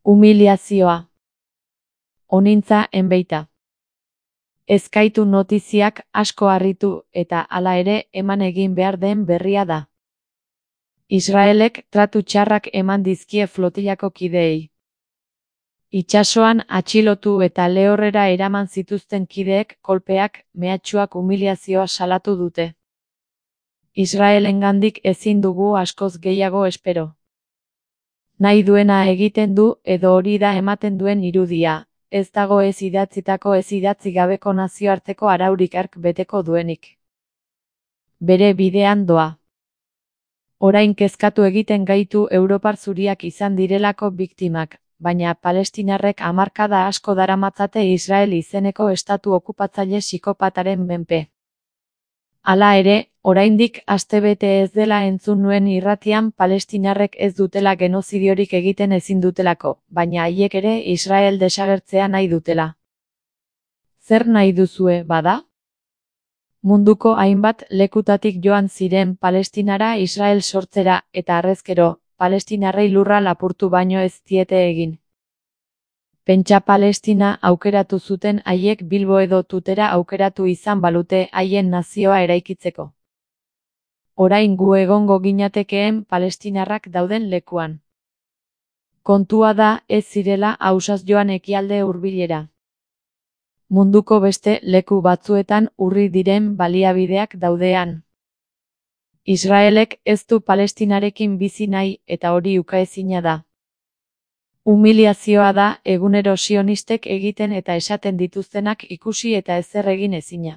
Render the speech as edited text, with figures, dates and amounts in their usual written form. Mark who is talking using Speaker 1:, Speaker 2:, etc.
Speaker 1: Humiliazioa. Honintza enbeita. Ezkaitu notiziak asko harritu eta hala ere eman egin behar den berria da. Israelek tratu txarrak eman dizkie flotilako kideei. Itsasoan atxilotu eta lehorrera eraman zituzten kideek kolpeak, mehatxuak humiliazioa salatu dute. Israelengandik ezin dugu askoz gehiago espero. Nahi duena egiten du edo hori da ematen duen irudia, ez dago ez idatzitako ez idatzi gabeko nazioarteko araurik hark beteko duenik. Bere bidean doa. Orain kezkatu egiten gaitu Europar zuriak izan direlako biktimak, baina palestinarrek hamarkada asko daramatzate Israel izeneko estatu okupatzaile psikopataren menpe. Hala ere, oraindik astebete ez dela entzun nuen irratian palestinarrek ez dutela genozidiorik egiten ezin dutelako, baina haiek ere Israel desagertzea nahi dutela. Zer nahi duzue, bada? Munduko hainbat lekutatik joan ziren Palestinara Israel sortzera, eta harrezkero, palestinarrei lurra lapurtu baino ez diete egin. Pentsa Palestina aukeratu zuten haiek Bilbo edo Tutera aukeratu izan balute haien nazioa eraikitzeko. Orain gu egongo ginatekeen palestinarrak dauden lekuan. Kontua da ez zirela ausaz joan ekialde hurbilera. Munduko beste leku batzuetan urri diren baliabideak daudean. Israelek ez du Palestinarekin bizi nahi eta hori ukaezina da. Humiliazioa da egunero sionistek egiten eta esaten dituztenak ikusi eta ezer egin ezina.